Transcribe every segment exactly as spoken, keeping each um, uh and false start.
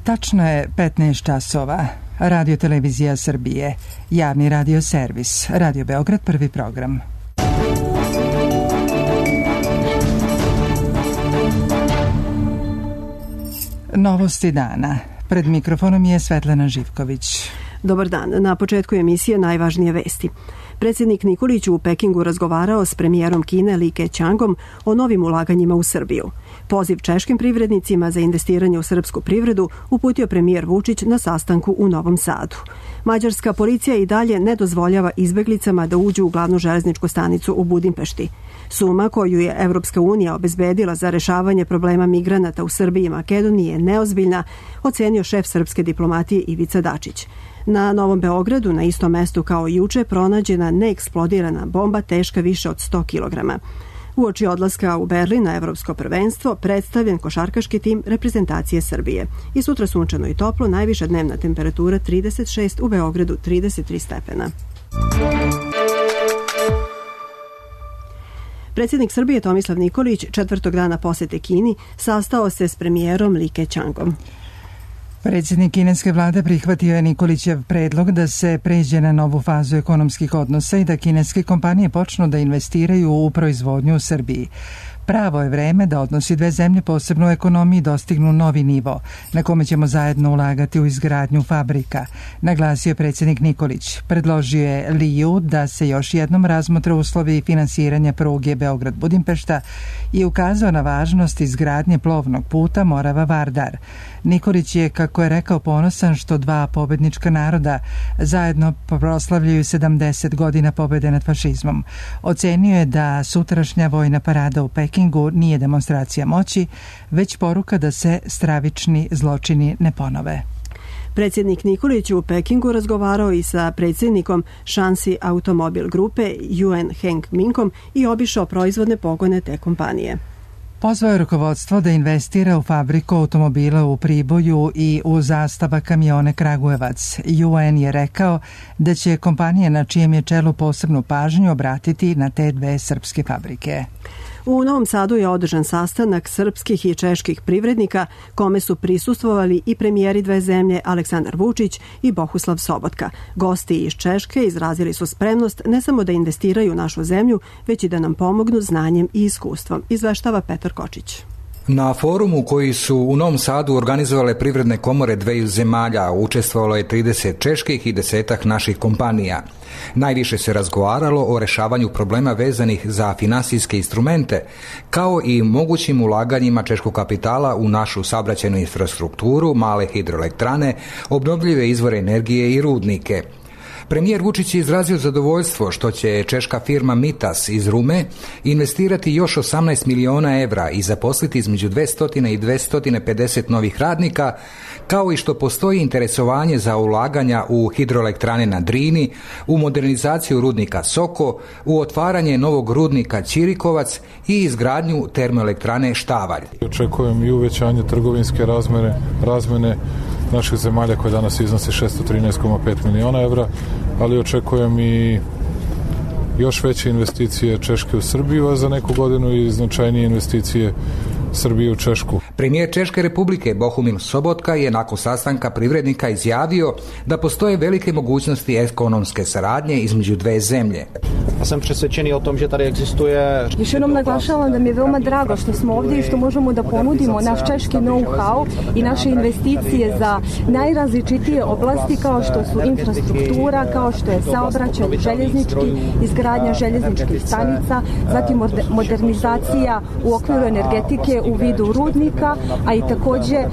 Tačno je petnaest časova. Radio Televizija Srbije, javni radio servis, Radio Beograd, prvi program. Novosti dana. Pred mikrofonom je Svetlana Živković. Dobar dan. Na početku emisije najvažnije vesti. Predsjednik Nikolić u Pekingu razgovarao s premijerom Kine Li Keqiangom o novim ulaganjima u Srbiju. Poziv češkim privrednicima za investiranje u srpsku privredu uputio premijer Vučić na sastanku u Novom Sadu. Mađarska policija i dalje ne dozvoljava izbeglicama da uđu u glavnu železničku stanicu u Budimpešti. Suma koju je Evropska unija obezbedila za rešavanje problema migranata u Srbiji i Makedoniji je neozbiljna, ocenio šef srpske diplomatije Ivica Dačić. Na Novom Beogradu, na istom mestu kao i juče, pronađena neeksplodirana bomba teška više od sto kilograma. Uoči odlaska u Berlin na evropsko prvenstvo predstavljen košarkaški tim reprezentacije Srbije. I sutra sunčano i toplo, najviša dnevna temperatura trideset šest, u Beogradu trideset tri stepena. Predsjednik Srbije Tomislav Nikolić četvrtog dana posete Kini sastao se s premijerom Li Keqiangom. Predsjednik kineske vlade prihvatio je Nikolićev predlog da se pređe na novu fazu ekonomskih odnosa i da kineske kompanije počnu da investiraju u proizvodnju u Srbiji. Pravo je vreme da odnosi dve zemlje, posebno u ekonomiji, dostignu novi nivo, na kome ćemo zajedno ulagati u izgradnju fabrika, naglasio je predsjednik Nikolić. Predložio je Liju da se još jednom razmotre uslovi finansiranja pruge Beograd-Budimpešta i ukazao na važnost izgradnje plovnog puta Morava-Vardar. Nikolić je, kako je rekao, ponosan što dva pobednička naroda zajedno proslavljaju sedamdeset godina pobede nad fašizmom. Ocenio je da sutrašnja vojna parada u Pekingu nije demonstracija moći, već poruka da se stravični zločini ne ponove. Predsjednik Nikolić u Pekingu razgovarao i sa predsjednikom Shanxi Automobil grupe Yuan Heng Minkom i obišao proizvodne pogone te kompanije. Pozvao je rukovodstvo da investira u fabriku automobila u Priboju i u Zastava kamione Kragujevac. U N je rekao da će kompanije na čijem je čelu posebnu pažnju obratiti na te dve srpske fabrike. U Novom Sadu je održan sastanak srpskih i čeških privrednika, kome su prisustvovali i premijeri dve zemlje Aleksandar Vučić i Bohuslav Sobotka. Gosti iz Češke izrazili su spremnost ne samo da investiraju u našu zemlju, već i da nam pomognu znanjem i iskustvom, izveštava Petar Kočić. Na forumu koji su u Novom Sadu organizovale privredne komore dveju zemalja učestvovalo je trideset čeških i desetak naših kompanija. Najviše se razgovaralo o rešavanju problema vezanih za finansijske instrumente, kao i mogućim ulaganjima češkog kapitala u našu saobraćajnu infrastrukturu, male hidroelektrane, obnovljive izvore energije i rudnike. Premijer Vučić je izrazio zadovoljstvo što će češka firma Mitas iz Rume investirati još osamnaest miliona evra i zaposliti između dvesta i dvesta pedeset novih radnika, kao i što postoji interesovanje za ulaganja u hidroelektrane na Drini, u modernizaciju rudnika Soko, u otvaranje novog rudnika Ćirikovac i izgradnju termoelektrane Štavalj. Očekujem i uvećanje trgovinske razmere, razmene naših zemalja koje danas iznose šessto trinaest zarez pet miliona evra, ali očekujem i još veće investicije Češke u Srbiju, a za neku godinu i značajnije investicije Srbije u Češku. Premijer Češke Republike Bohumil Sobotka je nakon sastanka privrednika izjavio da postoje velike mogućnosti ekonomske saradnje između dve zemlje. Ja sam presvećeni o tom, že tady existuje... Još jednom naglašavam da mi je veoma drago što smo ovdje i što možemo da ponudimo naš češki know-how i naše investicije za najrazličitije oblasti kao što su infrastruktura, kao što je saobraćaj željeznički, izgradnja željezničkih stanica, zatim modernizacija u okviru energetike u vidu rudnika, a i također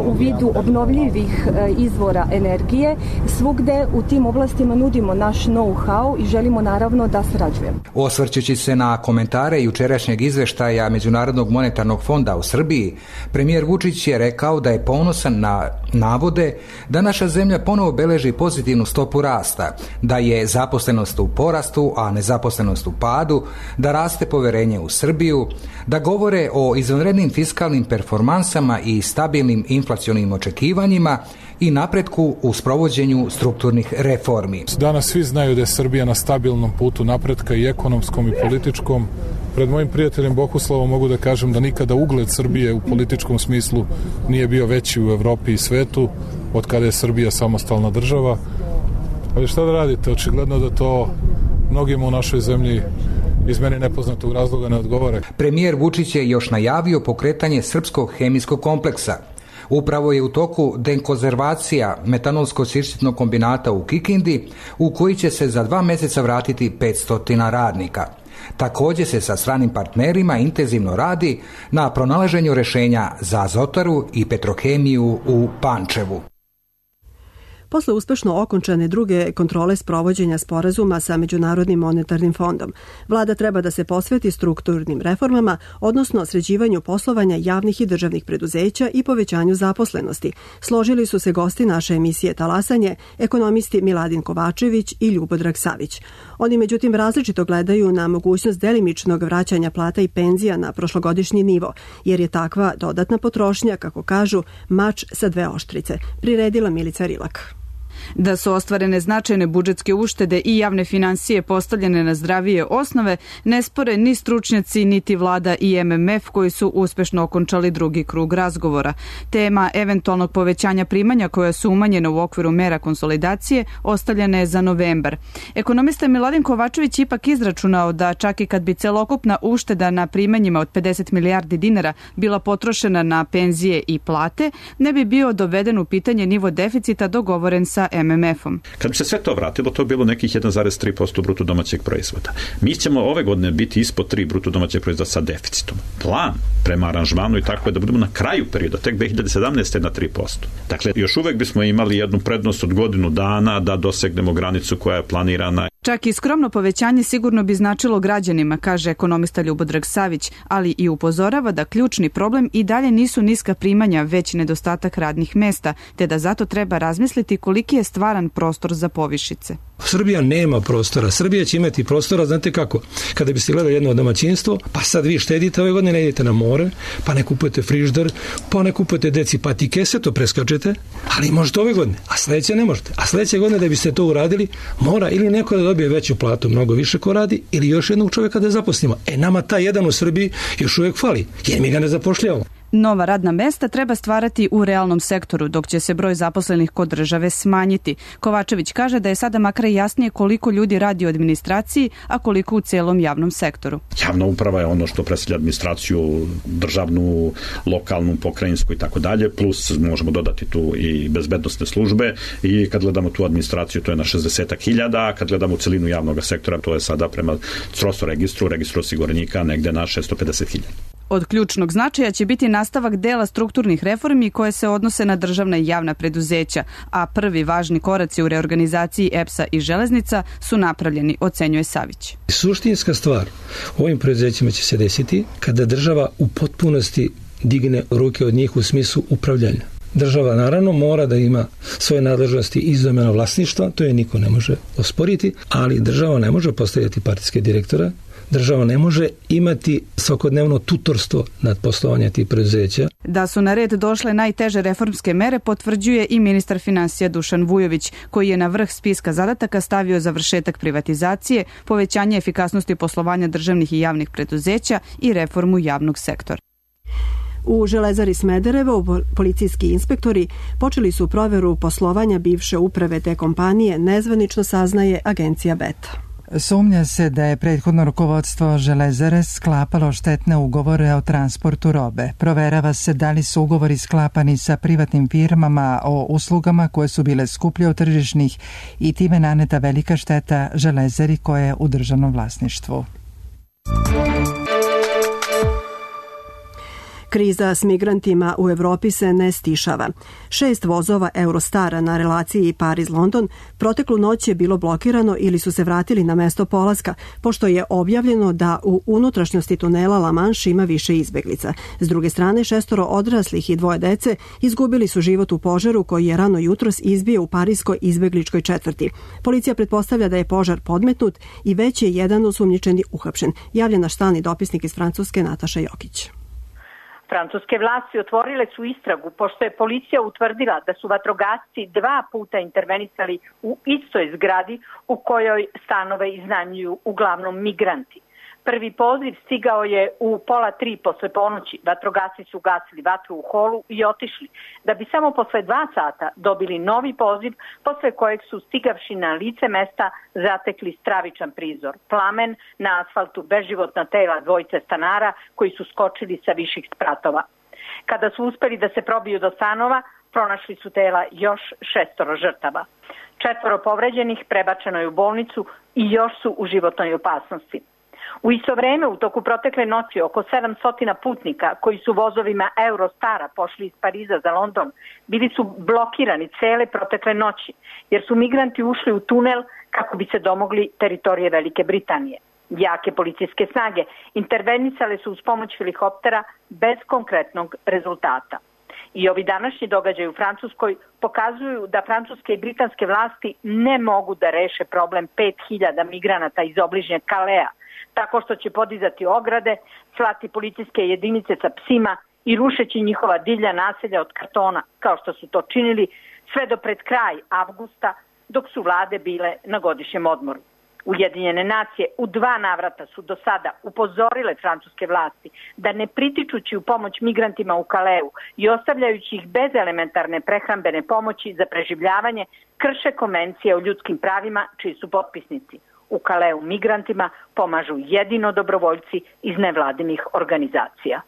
u vidu obnovljivih izvora energije. Svugde u tim oblastima nudimo naš know-how i želimo naravno da sarađujemo. Osvrćući se na komentare jučerašnjeg izveštaja Međunarodnog monetarnog fonda u Srbiji, premijer Vučić je rekao da je ponosan na navode da naša zemlja ponovo beleži pozitivnu stopu rasta, da je zaposlenost u porastu, a nezaposlenost u padu, da raste poverenje u Srbiju, da govore o izvanrednim fiskalnim performansama performansama i stabilnim inflacionim očekivanjima i napretku u sprovođenju strukturnih reformi. Danas svi znaju da je Srbija na stabilnom putu napretka i ekonomskom i političkom. Pred mojim prijateljem Bohuslavom mogu da kažem da nikada ugled Srbije u političkom smislu nije bio veći u Evropi i svetu od kada je Srbija samostalna država. Ali šta da radite? Očigledno da to mnogima u našoj zemlji iz meni nepoznatog razloga ne odgovara. Premijer Vučić je još najavio pokretanje srpskog hemijskog kompleksa. Upravo je u toku dekonzervacija metanolsko-sirćetnog kombinata u Kikindi, u koji će se za dva mjeseca vratiti petsto radnika. Također se sa stranim partnerima intenzivno radi na pronalaženju rješenja za Azotaru i Petrohemiju u Pančevu. Posle uspešno okončane druge kontrole sprovođenja sporazuma sa Međunarodnim monetarnim fondom, vlada treba da se posveti strukturnim reformama, odnosno sređivanju poslovanja javnih i državnih preduzeća i povećanju zaposlenosti. Složili su se gosti naše emisije Talasanje, ekonomisti Miladin Kovačević i Ljubodrag Savić. Oni međutim različito gledaju na mogućnost delimičnog vraćanja plata i penzija na prošlogodišnji nivo, jer je takva dodatna potrošnja, kako kažu, mač sa dve oštrice. Priredila Milica Rilak. Da su ostvarene značajne budžetske uštede i javne finansije postavljene na zdravije osnove, ne spore ni stručnjaci, niti vlada i M M F koji su uspešno okončali drugi krug razgovora. Tema eventualnog povećanja primanja koja su umanjena u okviru mera konsolidacije ostavljena je za novembar. Ekonomista Miladin Kovačević ipak izračunao da čak i kad bi celokupna ušteda na primanjima od pedeset milijardi dinara bila potrošena na penzije i plate, ne bi bio doveden u pitanje nivo deficita dogovoren sa M M F-om. Kad bi se sve to vratilo, to je bilo nekih jedan zarez tri posto bruto domaćeg proizvoda. Mi ćemo ove godine biti ispod tri bruto domaćeg proizvoda sa deficitom. Plan prema aranžmanu i tako je da budemo na kraju perioda, tek dve hiljade sedamnaeste na tri posto. Dakle, još uvek bismo imali jednu prednost od godinu dana da dosegnemo granicu koja je planirana. Čak i skromno povećanje sigurno bi značilo građanima, kaže ekonomista Ljubodrag Savić, ali i upozorava da ključni problem i dalje nisu niska primanja, već nedostatak radnih mesta, te da zato treba razmisliti koliki je stvaran prostor za povišice. Srbija nema prostora. Srbija će imati prostora, znate kako? Kada biste gledali jedno domaćinstvo, pa sad vi štedite, ove godine ne idete na more, pa ne kupujete frižder, pa ne kupujete deci patike, sve to preskačete, ali možete ove godine, a sledeće ne možete. A sledeće godine da biste to uradili, mora ili neko da dobije veću platu, mnogo više ko radi, ili još jednog čovjeka da zaposlimo. E, nama ta jedan u Srbiji još uvijek fali, jer mi ga ne zapošljavamo. Nova radna mesta treba stvarati u realnom sektoru, dok će se broj zaposlenih kod države smanjiti. Kovačević kaže da je sada makar jasnije koliko ljudi radi u administraciji, a koliko u celom javnom sektoru. Javna uprava je ono što predstavlja administraciju, državnu, lokalnu, pokrajinsku i tako dalje, plus možemo dodati tu i bezbednosne službe i kad gledamo tu administraciju to je na šezdeset hiljada, a kad gledamo celinu javnog sektora to je sada prema Crosso registru, registru osiguranika negde na šesto pedeset hiljada. Od ključnog značaja će biti nastavak dela strukturnih reformi koje se odnose na državna i javna preduzeća, a prvi važni koraci u reorganizaciji E P S-a i železnica su napravljeni, ocenjuje Savić. Suštinska stvar u ovim preduzećima će se desiti kada država u potpunosti digne ruke od njih u smislu upravljanja. Država naravno mora da ima svoje nadležnosti iz domena vlasništva, to je niko ne može osporiti, ali država ne može postavljati partijske direktora. Država ne može imati svakodnevno tutorstvo nad poslovanja tih preduzeća. Da su na red došle najteže reformske mere potvrđuje i ministar finansija Dušan Vujović, koji je na vrh spiska zadataka stavio završetak privatizacije, povećanje efikasnosti poslovanja državnih i javnih preduzeća i reformu javnog sektora. U Železari Smederevo policijski inspektori počeli su proveru poslovanja bivše uprave te kompanije, nezvanično saznaje agencija Beta. Sumnja se da je prethodno rukovodstvo Železare sklapalo štetne ugovore o transportu robe. Proverava se da li su ugovori sklapani sa privatnim firmama o uslugama koje su bile skuplje od tržišnih i time naneta velika šteta Železari koja je u državnom vlasništvu. Kriza s migrantima u Evropi se ne stišava. Šest vozova Eurostara na relaciji Pariz-London proteklu noć je bilo blokirano ili su se vratili na mesto polaska, pošto je objavljeno da u unutrašnjosti tunela La Manche ima više izbeglica. S druge strane, šestoro odraslih i dvoje dece izgubili su život u požaru koji je rano jutros izbio u parijskoj izbegličkoj četvrti. Policija pretpostavlja da je požar podmetnut i već je jedan osumnjičeni uhapšen. Javlja naš stalni dopisnik iz Francuske Nataša Jokić. Francuske vlasti otvorile su istragu pošto je policija utvrdila da su vatrogasci dva puta intervenisali u istoj zgradi u kojoj stanove iznajmljuju uglavnom migranti. Prvi poziv stigao je u pola tri posle ponoći. Vatrogasci su gasili vatru u holu i otišli, da bi samo posle dva sata dobili novi poziv, posle kojeg su stigavši na lice mesta zatekli stravičan prizor. Plamen, na asfaltu beživotna tela dvojice stanara koji su skočili sa viših spratova. Kada su uspeli da se probiju do stanova, pronašli su tela još šestoro žrtava. Četvoro povređenih prebačeno je u bolnicu i još su u životnoj opasnosti. U isto vreme, u toku protekle noći, oko sedamsto putnika koji su vozovima Eurostara pošli iz Pariza za London, bili su blokirani cele protekle noći, jer su migranti ušli u tunel kako bi se domogli teritorije Velike Britanije. Jake policijske snage intervenisale su uz pomoć helikoptera bez konkretnog rezultata. I ovi današnji događaji u Francuskoj pokazuju da francuske i britanske vlasti ne mogu da reše problem pet hiljada migranata iz obližnjeg Kalea, tako što će podizati ograde, slati policijske jedinice sa psima i rušeći njihova divlja naselja od kartona, kao što su to činili sve do pred kraj avgusta, dok su vlade bile na godišnjem odmoru. Ujedinjene nacije u dva navrata su do sada upozorile francuske vlasti da ne pritičući u pomoć migrantima u Kaleu i ostavljajući ih bez elementarne prehrambene pomoći za preživljavanje, krše konvencije o ljudskim pravima čiji su potpisnici. U Kaleu migrantima pomažu jedino dobrovoljci iz nevladinih organizacija.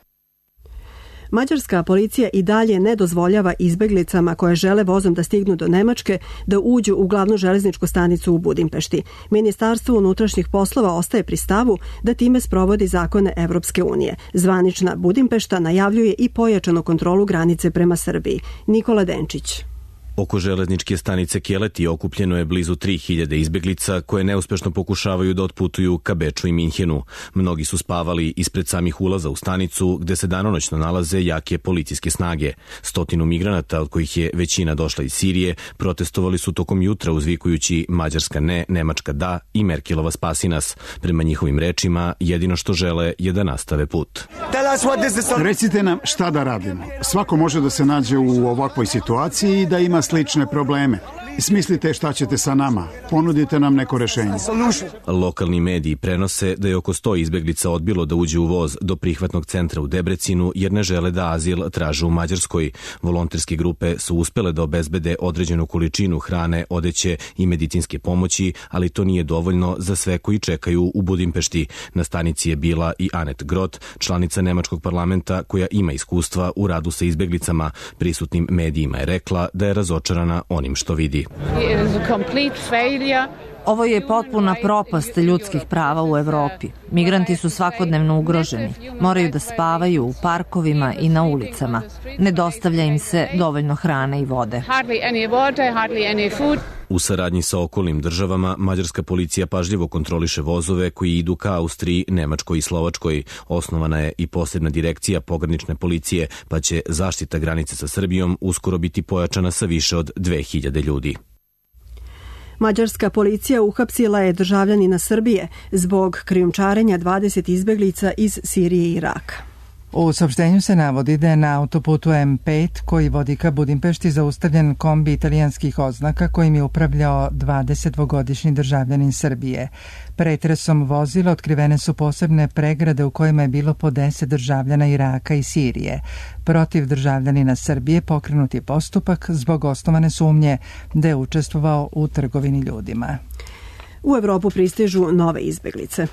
Mađarska policija i dalje ne dozvoljava izbeglicama koje žele vozom da stignu do Nemačke da uđu u glavnu železničku stanicu u Budimpešti. Ministarstvo unutrašnjih poslova ostaje pri stavu da time sprovodi zakone Evropske unije. Zvanična Budimpešta najavljuje i pojačanu kontrolu granice prema Srbiji. Nikola Denčić. Oko železničke stanice Keleti okupljeno je blizu tri hiljade izbeglica koje neuspešno pokušavaju da otputuju ka Beču i Minhenu. Mnogi su spavali ispred samih ulaza u stanicu gde se danonoćno nalaze jake policijske snage. Stotinu migranata, od kojih je većina došla iz Sirije, protestovali su tokom jutra uzvikujući Mađarska ne, Nemačka da i Merkelova spasi nas. Prema njihovim rečima, jedino što žele je da nastave put. Recite nam šta da radimo. Svako može da se nađe u ovakvoj situaciji i da ima slične probleme. Smislite šta ćete sa nama. Ponudite nam neko rešenje. Lokalni mediji prenose da je oko sto izbeglica odbilo da uđe u voz do prihvatnog centra u Debrecinu jer ne žele da azil traže u Mađarskoj. Volonterske grupe su uspele da obezbede određenu količinu hrane, odeće i medicinske pomoći, ali to nije dovoljno za sve koji čekaju u Budimpešti. Na stanici je bila i Anet Grot, članica nemačkog parlamenta koja ima iskustva u radu sa izbeglicama. Prisutnim medijima je rekla da je razočarana onim što vidi. Ovo je potpuna propast ljudskih prava u Evropi. Migranti su svakodnevno ugroženi. Moraju da spavaju u parkovima i na ulicama. Ne dostavlja im se dovoljno hrane i vode. U saradnji sa okolnim državama, mađarska policija pažljivo kontroliše vozove koji idu ka Austriji, Nemačkoj i Slovačkoj. Osnovana je i posebna direkcija pogranične policije, pa će zaštita granice sa Srbijom uskoro biti pojačana sa više od dve hiljade ljudi. Mađarska policija uhapsila je državljanina Srbije zbog krijumčarenja dvadeset izbeglica iz Sirije i Iraka. U saopštenju se navodi da je na autoputu M pet koji vodi ka Budimpešti zaustavljen kombi italijanskih oznaka kojim je upravljao dvadesetdvogodišnji državljanin Srbije. Pretresom vozila otkrivene su posebne pregrade u kojima je bilo po deset državljana Iraka i Sirije. Protiv državljanina Srbije pokrenut je postupak zbog osnovane sumnje da je učestvovao u trgovini ljudima. U Evropu pristižu nove izbeglice.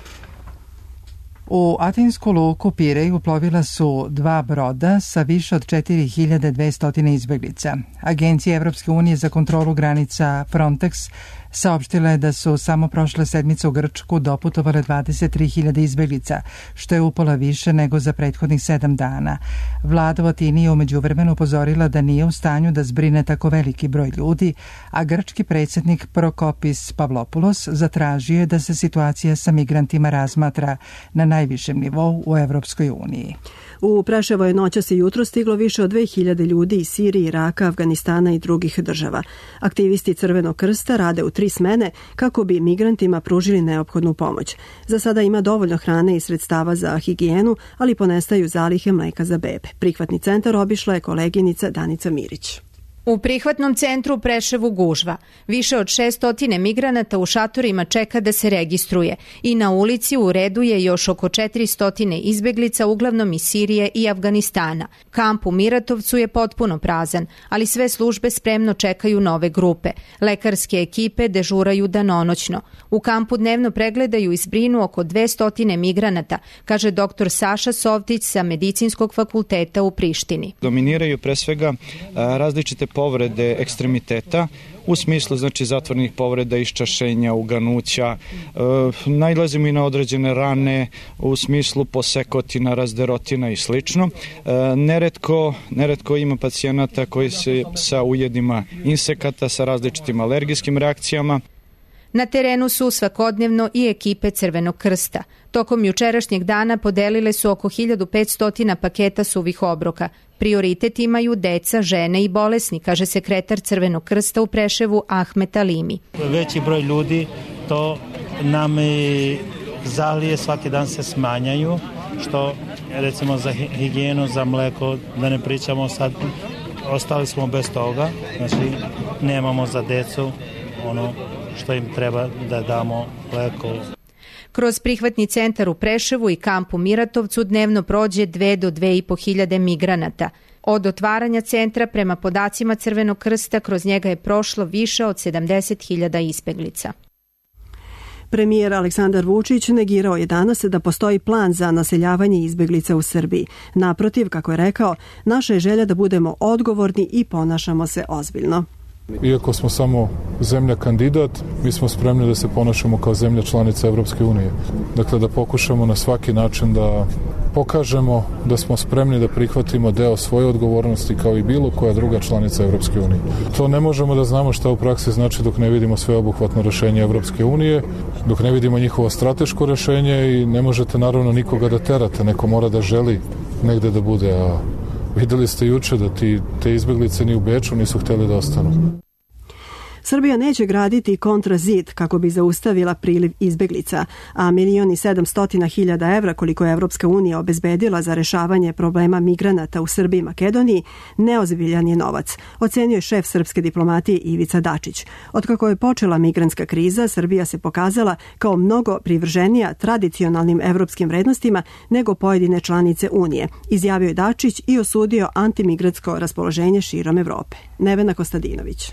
U atinsku luku Pirej uplovila su dva broda sa više od četiri hiljade dvesta izbeglica. Agencija Evropske unije za kontrolu granica Frontex saopštila je da su samo prošle sedmice u Grčku doputovale dvadeset tri hiljade izbeglica, što je upola više nego za prethodnih sedam dana. Vlada u Atini je umeđu vremenu upozorila da nije u stanju da zbrine tako veliki broj ljudi, a grčki predsjednik Prokopis Pavlopoulos zatražio je da se situacija sa migrantima razmatra na najvišem nivou u Evropskoj uniji. U Preševo je noćas i jutro stiglo više od dve hiljade ljudi iz Sirije, Iraka, Afganistana i drugih država. Aktivisti Crvenog krsta rade u tri smene kako bi migrantima pružili neophodnu pomoć. Za sada ima dovoljno hrane i sredstava za higijenu, ali ponestaju zalihe mleka za bebe. Prihvatni centar obišla je koleginica Danica Mirić. U prihvatnom centru u Preševu gužva. Više od šesto migranata u šatorima čeka da se registruje i na ulici u redu je još oko četiristo izbeglica, uglavnom iz Sirije i Afganistana. Kamp u Miratovcu je potpuno prazan, ali sve službe spremno čekaju nove grupe. Lekarske ekipe dežuraju danonoćno. U kampu dnevno pregledaju i zbrinu oko dvesta migranata, kaže doktor Saša Sovtić sa Medicinskog fakulteta u Prištini. Dominiraju pre svega različite povrede ekstremiteta u smislu znači zatvornih povreda, iščašenja, uganuća. E, najlazimo i na određene rane u smislu posekotina, razderotina i slično. E, neretko, neretko ima pacijenata koji se sa ujedima insekata, sa različitim alergijskim reakcijama. Na terenu su svakodnevno i ekipe Crvenog krsta. Tokom jučerašnjeg dana podelile su oko hiljadu petsto paketa suvih obroka. Prioritet imaju deca, žene i bolesni, kaže sekretar Crvenog krsta u Preševu Ahmet Alimi. Veći broj ljudi, to nam zalije svaki dan se smanjaju, što recimo za higijenu, za mleko, da ne pričamo sad, ostali smo bez toga, znači nemamo za decu ono što im treba da damo mleko. Kroz prihvatni centar u Preševu i kamp u Miratovcu dnevno prođe dve do dve i po hiljade migranata. Od otvaranja centra prema podacima Crvenog krsta kroz njega je prošlo više od sedamdeset hiljada izbeglica. Premijer Aleksandar Vučić negirao je danas da postoji plan za naseljavanje izbeglica u Srbiji. Naprotiv, kako je rekao, naša je želja da budemo odgovorni i ponašamo se ozbiljno. Iako smo samo zemlja kandidat, mi smo spremni da se ponašamo kao zemlja članica Evropske unije. Dakle, da pokušamo na svaki način da pokažemo da smo spremni da prihvatimo deo svoje odgovornosti kao i bilo koja druga članica Evropske unije. To ne možemo da znamo šta u praksi znači dok ne vidimo sveobuhvatno rešenje Evropske unije, dok ne vidimo njihovo strateško rešenje i ne možete naravno nikoga da terate, neko mora da želi negde da bude, a videli ste juče da ti, te izbeglice ni u Beču nisu hteli da ostanu. Srbija neće graditi kontrazid kako bi zaustavila priliv izbeglica, a milion i sedamstotina hiljada evra koliko je Evropska unija obezbedila za rešavanje problema migranata u Srbiji i Makedoniji neozbiljan je novac, ocenio je šef srpske diplomatije Ivica Dačić. Otkako je počela migrantska kriza, Srbija se pokazala kao mnogo privrženija tradicionalnim evropskim vrednostima nego pojedine članice Unije, izjavio je Dačić i osudio antimigratsko raspoloženje širom Evrope. Nevena Kostadinović.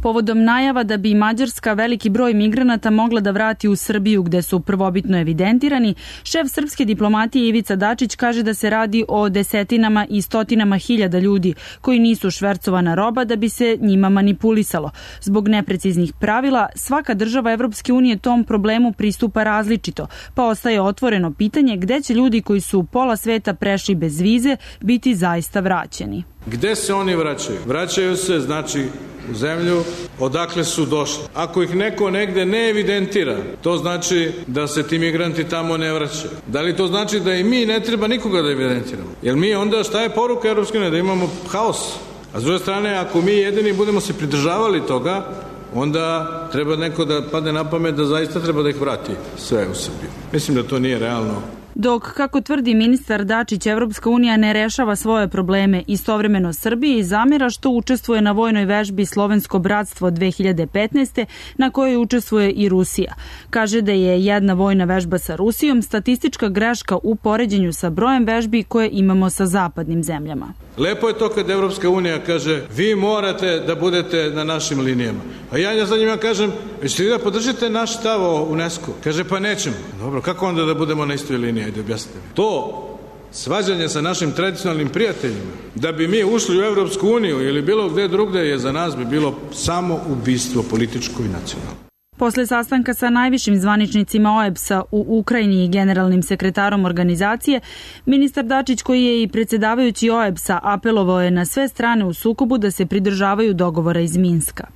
Povodom najava da bi Mađarska veliki broj migranata mogla da vrati u Srbiju gde su prvobitno evidentirani, šef srpske diplomatije Ivica Dačić kaže da se radi o desetinama i stotinama hiljada ljudi koji nisu švercovana roba da bi se njima manipulisalo. Zbog nepreciznih pravila, svaka država Evropske unije tom problemu pristupa različito, pa ostaje otvoreno pitanje gde će ljudi koji su pola sveta prešli bez vize biti zaista vraćeni. Gde se oni vraćaju? Vraćaju se, znači, u zemlju odakle su došli. Ako ih neko negde ne evidentira, to znači da se ti migranti tamo ne vraćaju. Da li to znači da i mi ne treba nikoga da evidentiramo? Jer mi onda, šta je poruka Evropske unije? Da imamo haos. A s druge strane, ako mi jedini budemo se pridržavali toga, onda treba neko da padne na pamet da zaista treba da ih vrati sve u Srbiju. Mislim da to nije realno. Dok, kako tvrdi ministar Dačić, Evropska unija ne rešava svoje probleme, istovremeno Srbiji zamera što učestvuje na vojnoj vežbi Slovensko bratstvo dve hiljade petnaeste. na kojoj učestvuje i Rusija. Kaže da je jedna vojna vežba sa Rusijom statistička greška u poređenju sa brojem vežbi koje imamo sa zapadnim zemljama. Lepo je to kad Evropska unija kaže vi morate da budete na našim linijama. A ja za njima kažem, ćete vi da podržite naš stav o UNESCO? Kaže pa nećemo. Dobro, kako onda da budemo na istoj liniji? Ajde objasnite mi. To svađanje sa našim tradicionalnim prijateljima, da bi mi ušli u Evropsku uniju ili bilo gde drugde je za nas bi bilo samo ubistvo političko i nacionalno. Posle sastanka sa najvišim zvaničnicima O E B S-a u Ukrajini i generalnim sekretarom organizacije, ministar Dačić, koji je i predsjedavajući O E B S-a, apelovao je na sve strane u sukobu da se pridržavaju dogovora iz Minska.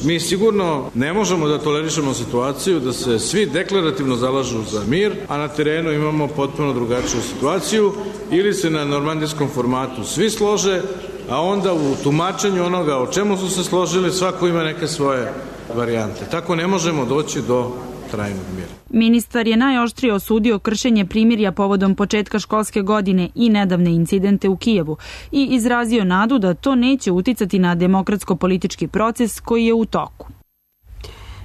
Mi sigurno ne možemo da tolerišemo situaciju da se svi deklarativno zalažu za mir, a na terenu imamo potpuno drugačiju situaciju, ili se na normandijskom formatu svi slože, a onda u tumačenju onoga o čemu su se složili svako ima neke svoje varijante. Tako ne možemo doći do trajnog mira. Ministar je najoštrije osudio kršenje primirja povodom početka školske godine i nedavne incidente u Kijevu i izrazio nadu da to neće uticati na demokratsko-politički proces koji je u toku.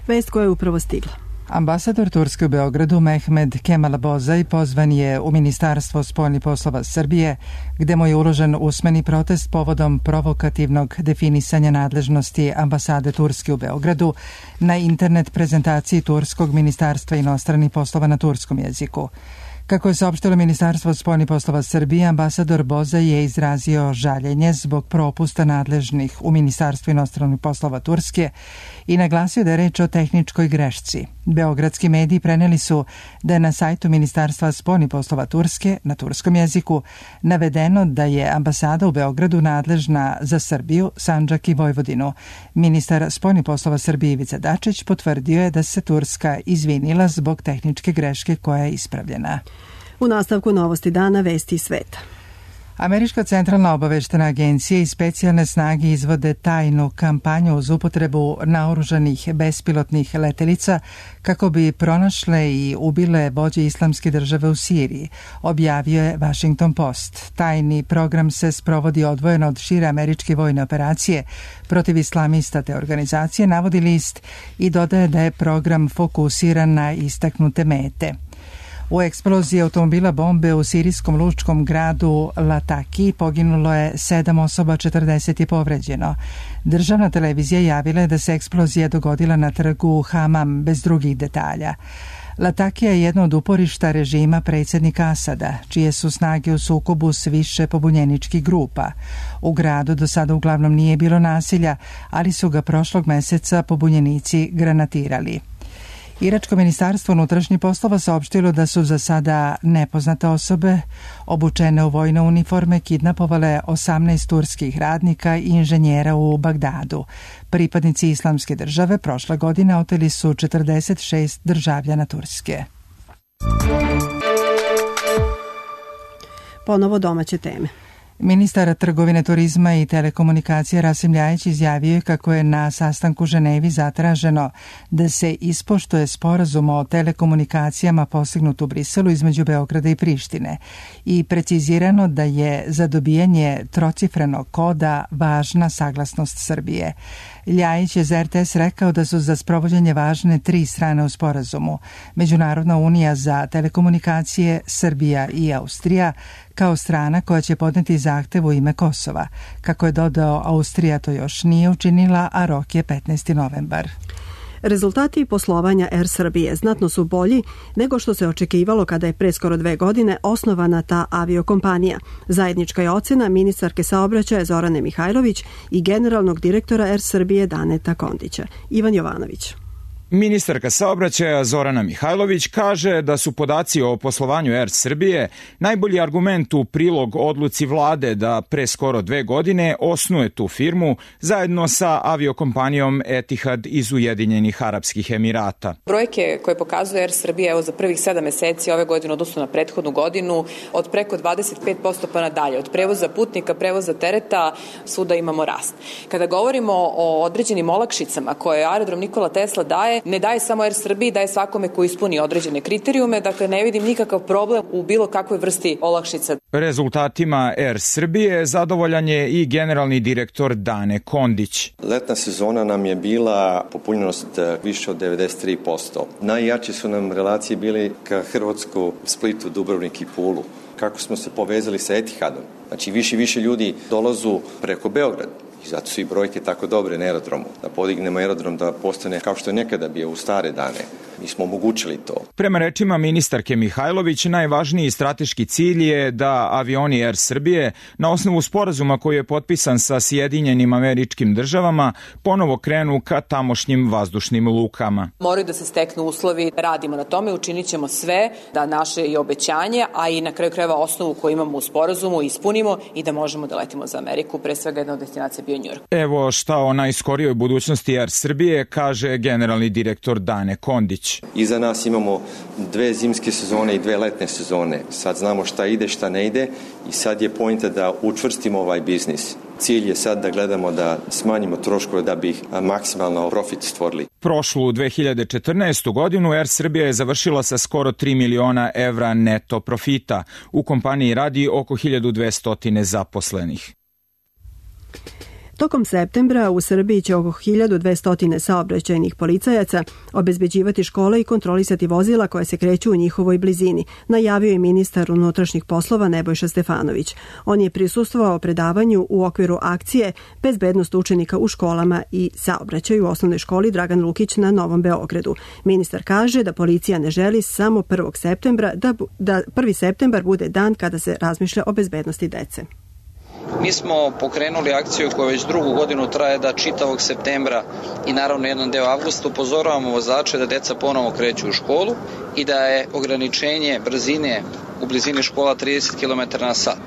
Vest koja je upravo stigla. Ambasador Turske u Beogradu Mehmed Kemalabozaj pozvan je u Ministarstvo spoljnih poslova Srbije, gde mu je uložen usmeni protest povodom provokativnog definisanja nadležnosti ambasade Turske u Beogradu na internet prezentaciji Turskog ministarstva inostranih poslova na turskom jeziku. Kako je saopštilo Ministarstvo spoljnih poslova Srbije, ambasador Bozaj je izrazio žaljenje zbog propusta nadležnih u Ministarstvu inostranih poslova Turske i naglasio da je reč o tehničkoj grešci. Beogradski mediji preneli su da je na sajtu Ministarstva spoljnih poslova Turske na turskom jeziku navedeno da je ambasada u Beogradu nadležna za Srbiju, Sandžak i Vojvodinu. Ministar spoljnih poslova Srbije Ivica Dačić potvrdio je da se Turska izvinila zbog tehničke greške koja je ispravljena. U nastavku novosti dana vesti iz sveta. Američka centralna obaveštena agencija i specijalne snage izvode tajnu kampanju uz upotrebu naoružanih bespilotnih letelica kako bi pronašle i ubile vođe islamske države u Siriji, objavio je Washington Post. Tajni program se sprovodi odvojeno od šire američke vojne operacije protiv islamista te organizacije, navodi list i dodaje da je program fokusiran na istaknute mete. U eksploziji automobila bombe u sirijskom lučkom gradu Lataki poginulo je sedam osoba, četrdeset je povređeno. Državna televizija javila je da se eksplozija dogodila na trgu Hamam bez drugih detalja. Latakija je jedno od uporišta režima predsjednika Asada, čije su snage u sukobu s više pobunjeničkih grupa. U gradu do sada uglavnom nije bilo nasilja, ali su ga prošlog meseca pobunjenici granatirali. Iračko ministarstvo unutrašnjih poslova saopštilo da su za sada nepoznate osobe obučene u vojne uniforme kidnapovale osamnaest turskih radnika i inženjera u Bagdadu. Pripadnici islamske države prošle godine oteli su četrdeset šest državljana Turske. Ponovo domaće teme. Ministar trgovine, turizma i telekomunikacije Rasim Ljajić izjavio je kako je na sastanku u Ženevi zatraženo da se ispoštuje sporazum o telekomunikacijama postignut u Briselu između Beograda i Prištine i precizirano da je za dobijanje trocifrenog koda važna saglasnost Srbije. Ljajić je za er te es rekao da su za sprovođenje važne tri strane u sporazumu: Međunarodna unija za telekomunikacije, Srbija i Austrija, kao strana koja će podneti zahtev u ime Kosova. Kako je dodao, Austrija to još nije učinila, a rok je petnaesti novembar. Rezultati poslovanja Er Srbije znatno su bolji nego što se očekivalo kada je pre skoro dve godine osnovana ta aviokompanija. Zajednička je ocena ministarke saobraćaja Zorane Mihajlović i generalnog direktora Er Srbije Daneta Kondića. Ivan Jovanović. Ministarka saobraćaja Zorana Mihajlović kaže da su podaci o poslovanju Er Srbije najbolji argument u prilog odluci vlade da pre skoro dve godine osnuje tu firmu zajedno sa aviokompanijom Etihad iz Ujedinjenih Arapskih Emirata. Brojke koje pokazuje Er Srbija evo za prvih sedam meseci ove godine odnosno na prethodnu godinu od preko dvadeset pet posto pa nadalje. Od prevoza putnika, prevoza tereta, svuda imamo rast. Kada govorimo o određenim olakšicama koje aerodrom Nikola Tesla daje, ne daje samo Er Srbiji, daje svakome ko ispuni određene kriterijume, dakle ne vidim nikakav problem u bilo kakvoj vrsti olakšica. Rezultatima Er Srbije zadovoljan je i generalni direktor Dane Kondić. Letna sezona nam je bila popunjenost više od devedeset tri posto. Najjači su nam relacije bili ka Hrvatsku, Splitu, Dubrovnik i Pulu. Kako smo se povezali sa Etihadom. Znači više i više ljudi dolazu preko Beograda. I zato su i brojke tako dobre na aerodromu. Da podignemo aerodrom da postane kao što je nekada bio u stare dane. Mi smo omogućili to. Prema rečima ministarke Mihajlović, najvažniji strateški cilj je da avioni Air Srbije na osnovu sporazuma koji je potpisan sa Sjedinjenim Američkim Državama ponovo krenu ka tamošnjim vazdušnim lukama. Moraju da se steknu uslovi, radimo na tome, učinit ćemo sve da naše i obećanje, a i na kraju krajeva osnovu koju imamo u sporazumu ispunimo i da možemo da letimo za Ameriku. Pre svega jedna od destinacija bio Njujork. Evo šta o najskorijoj budućnosti Air Srbije kaže generalni direktor Dane Kondić. Iza nas imamo dve zimske sezone i dve letne sezone. Sad znamo šta ide, šta ne ide i sad je poenta da učvrstimo ovaj biznis. Cilj je sad da gledamo da smanjimo troškove da bi maksimalno profit stvorili. Prošlu dve hiljade četrnaestu. godinu Air Srbija je završila sa skoro tri miliona evra neto profita. U kompaniji radi oko hiljadu dvesta zaposlenih. Tokom septembra u Srbiji će oko hiljadu dvesta saobraćajnih policajaca obezbeđivati škole i kontrolisati vozila koja se kreću u njihovoj blizini, najavio je ministar unutrašnjih poslova Nebojša Stefanović. On je prisustvovao predavanju u okviru akcije Bezbednost učenika u školama i saobraćaju u osnovnoj školi Dragan Lukić na Novom Beogradu. Ministar kaže da policija ne želi samo prvog septembra, da, da prvi septembar bude dan kada se razmišlja o bezbednosti dece. Mi smo pokrenuli akciju koja već drugu godinu traje da čitavog septembra i naravno jedan deo avgusta upozoravamo vozače da deca ponovo kreću u školu i da je ograničenje brzine u blizini škola trideset kilometara na sat.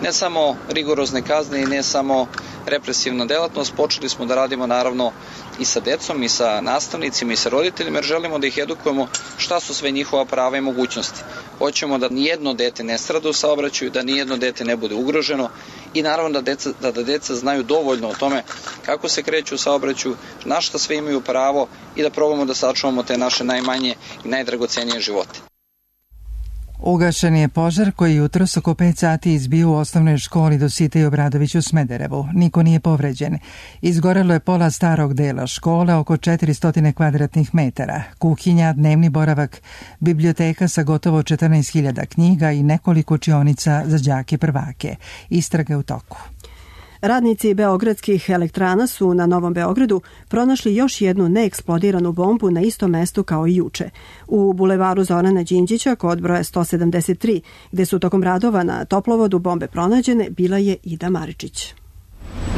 Ne samo rigorozne kazne i ne samo represivna delatnost, počeli smo da radimo naravno i sa decom i sa nastavnicima i sa roditeljima jer želimo da ih edukujemo šta su sve njihova prava i mogućnosti. Hoćemo da nijedno dete ne strada u saobraćaju, da nijedno dete ne bude ugroženo i naravno da deca, da, da deca znaju dovoljno o tome kako se kreću u saobraćaju, na šta sve imaju pravo i da probamo da sačuvamo te naše najmanje i najdragocenije živote. Ugašen je požar koji jutros oko pet sati izbio u osnovnoj školi Dositej i Obradović u Smederevu. Niko nije povređen. Izgorelo je pola starog dela škole, oko četiristo kvadratnih metara, kuhinja, dnevni boravak, biblioteka sa gotovo četrnaest hiljada knjiga i nekoliko učionica za đake prvake. Istraga je u toku. Radnici beogradskih elektrana su na Novom Beogradu pronašli još jednu neeksplodiranu bombu na istom mestu kao i juče. U bulevaru Zorana Đinđića kod broja sto sedamdeset tri, gde su tokom radova na toplovodu bombe pronađene, bila je Ida Maričić.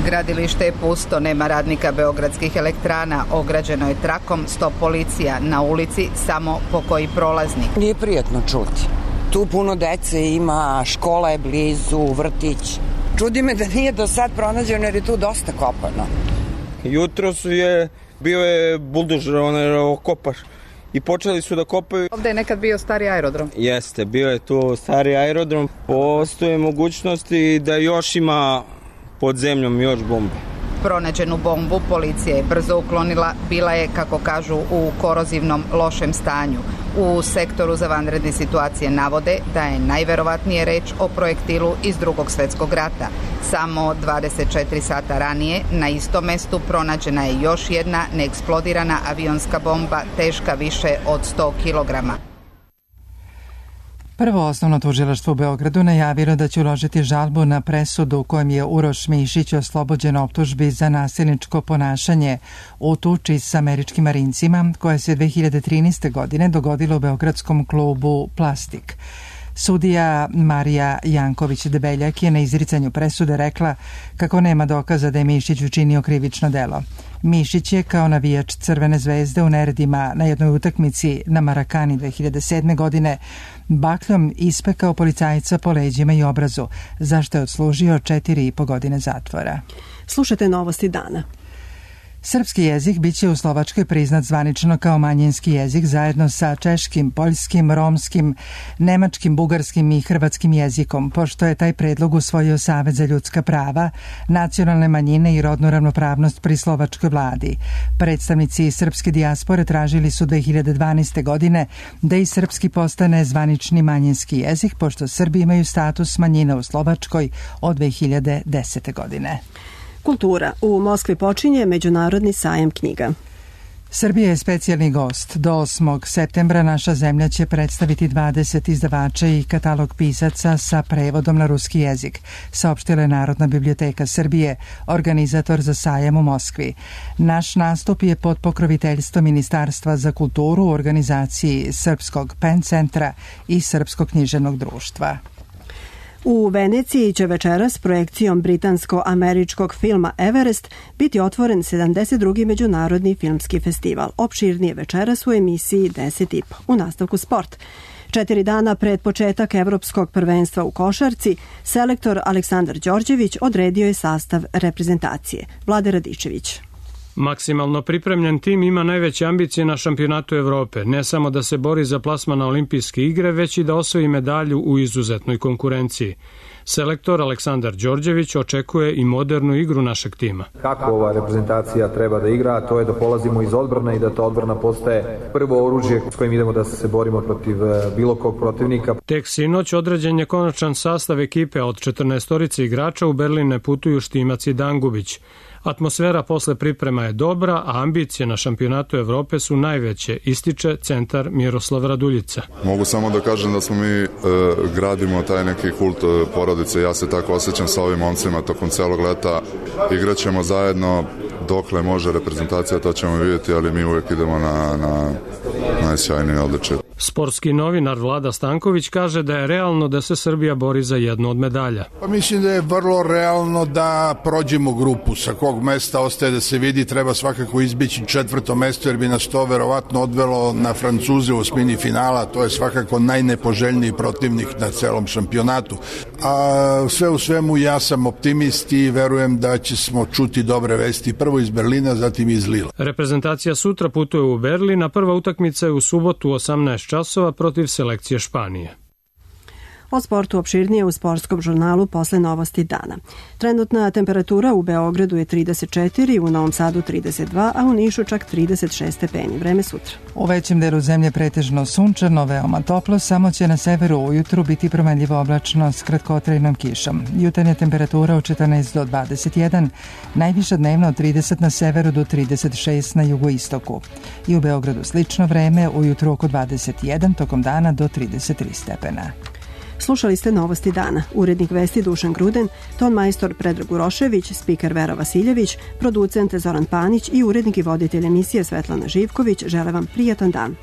Gradilište je pusto, nema radnika beogradskih elektrana, ograđeno je trakom, stop policija, na ulici samo pokoji prolaznik. Nije prijatno čuti. Tu puno dece ima, škola je blizu, vrtić. Čudi me da nije do sad pronađeno jer je tu dosta kopano. Jutro su je, bio je buldožer, onaj kopaš i počeli su da kopaju. Ovde je nekad bio stari aerodrom. Jeste, bio je tu stari aerodrom. Postoje mogućnosti da još ima pod zemljom još bombe. Pronađenu bombu policija je brzo uklonila, bila je, kako kažu, u korozivnom lošem stanju. U sektoru za vanredne situacije navode da je najverovatnije reč o projektilu iz Drugog svetskog rata. Samo dvadeset četiri sata ranije na istom mestu pronađena je još jedna neeksplodirana avionska bomba teška više od sto kilograma. Prvo osnovno tužilaštvo u Beogradu najavilo da će uložiti žalbu na presudu u kojem je Uroš Mišić oslobođen optužbi za nasilničko ponašanje u tuči s američkim marincima koja se dve hiljade trinaeste. godine dogodila u beogradskom klubu Plastik. Sudija Marija Janković-Debeljak je na izricanju presude rekla kako nema dokaza da je Mišić učinio krivično delo. Mišić je kao navijač Crvene zvezde u neredima na jednoj utakmici na Marakani dve hiljade sedme. godine bakljom ispekao policajca po leđima i obrazu, zašto je odslužio četiri i po godine zatvora. Slušajte novosti dana. Srpski jezik biće u Slovačkoj priznat zvanično kao manjinski jezik zajedno sa češkim, poljskim, romskim, nemačkim, bugarskim i hrvatskim jezikom, pošto je taj predlog usvojio Savet za ljudska prava, nacionalne manjine i rodnu ravnopravnost pri slovačkoj vladi. Predstavnici srpske dijaspore tražili su dve hiljade dvanaeste. godine da i srpski postane zvanični manjinski jezik, pošto Srbi imaju status manjine u Slovačkoj od dve hiljade desete. godine. Kultura. U Moskvi počinje Međunarodni sajam knjiga. Srbija je specijalni gost. Do osmog septembra naša zemlja će predstaviti dvadeset izdavača i katalog pisaca sa prevodom na ruski jezik, saopštila je Narodna biblioteka Srbije, organizator za sajam u Moskvi. Naš nastup je pod pokroviteljstvom Ministarstva za kulturu u organizaciji Srpskog pen centra i Srpskog književnog društva. U Veneciji će večeras projekcijom britansko-američkog filma Everest biti otvoren sedamdeset drugi međunarodni filmski festival. Opširnije večeras u emisiji deset i po. U nastavku sport. Četiri dana pred početak Evropskog prvenstva u košarci, selektor Aleksandar Đorđević odredio je sastav reprezentacije. Vlade Radičević. Maksimalno pripremljen tim ima najveće ambicije na šampionatu Evrope, ne samo da se bori za plasman na olimpijske igre, već i da osvoji medalju u izuzetnoj konkurenciji. Selektor Aleksandar Đorđević očekuje i modernu igru našeg tima. Kako ova reprezentacija treba da igra, to je da polazimo iz odbrane i da ta odbrana postaje prvo oružje s kojim idemo da se borimo protiv bilo kog protivnika. Tek sinoć određen je konačan sastav ekipe, od četrnaestorice igrača u Berlin ne putuju Štimac i Dangubić. Atmosfera posle priprema je dobra, a ambicije na šampionatu Evrope su najveće, ističe centar Miroslav Raduljica. Mogu samo da kažem da smo mi e, gradimo taj neki kult porodice, ja se tako osjećam sa ovim momcima tokom celog leta, igraćemo zajedno dokle može reprezentacija, to ćemo vidjeti, ali mi uvijek idemo na, na najsjajnije odličje. Sportski novinar Vlada Stanković kaže da je realno da se Srbija bori za jednu od medalja. Pa mislim da je vrlo realno da prođemo grupu. Sa kog mesta ostaje da se vidi, treba svakako izbići četvrto mesto, jer bi nas to verovatno odvelo na Francuze u osmini finala, to je svakako najnepoželjniji protivnik na celom šampionatu. A sve u svemu ja sam optimist i verujem da ćemo čuti dobre vesti, prvo iz Berlina, zatim iz Lila. Reprezentacija sutra putuje u Berlin, a prva utakmica je u subotu u osamnaest časova protiv selekcije Španije. O sportu opširnije u sportskom žurnalu posle novosti dana. Trenutna temperatura u Beogradu je trideset četiri, u Novom Sadu trideset dva, a u Nišu čak trideset šest stepeni. Vreme sutra. U većem delu zemlje pretežno sunčano, veoma toplo, samo će na severu ujutru biti promenljivo oblačno s kratkotrajnom kišom. Jutarnja temperatura od četrnaest do dvadeset jedan, najviša dnevno od trideset na severu do trideset šest na jugoistoku. I u Beogradu slično vreme, ujutru oko dvadeset jedan, tokom dana do trideset tri stepena. Slušali ste novosti dana. Urednik vesti Dušan Gruden, ton majstor Predrag Urošević, spiker Vera Vasiljević, producent Zoran Panić i urednik i voditelj emisije Svetlana Živković žele vam prijatan dan.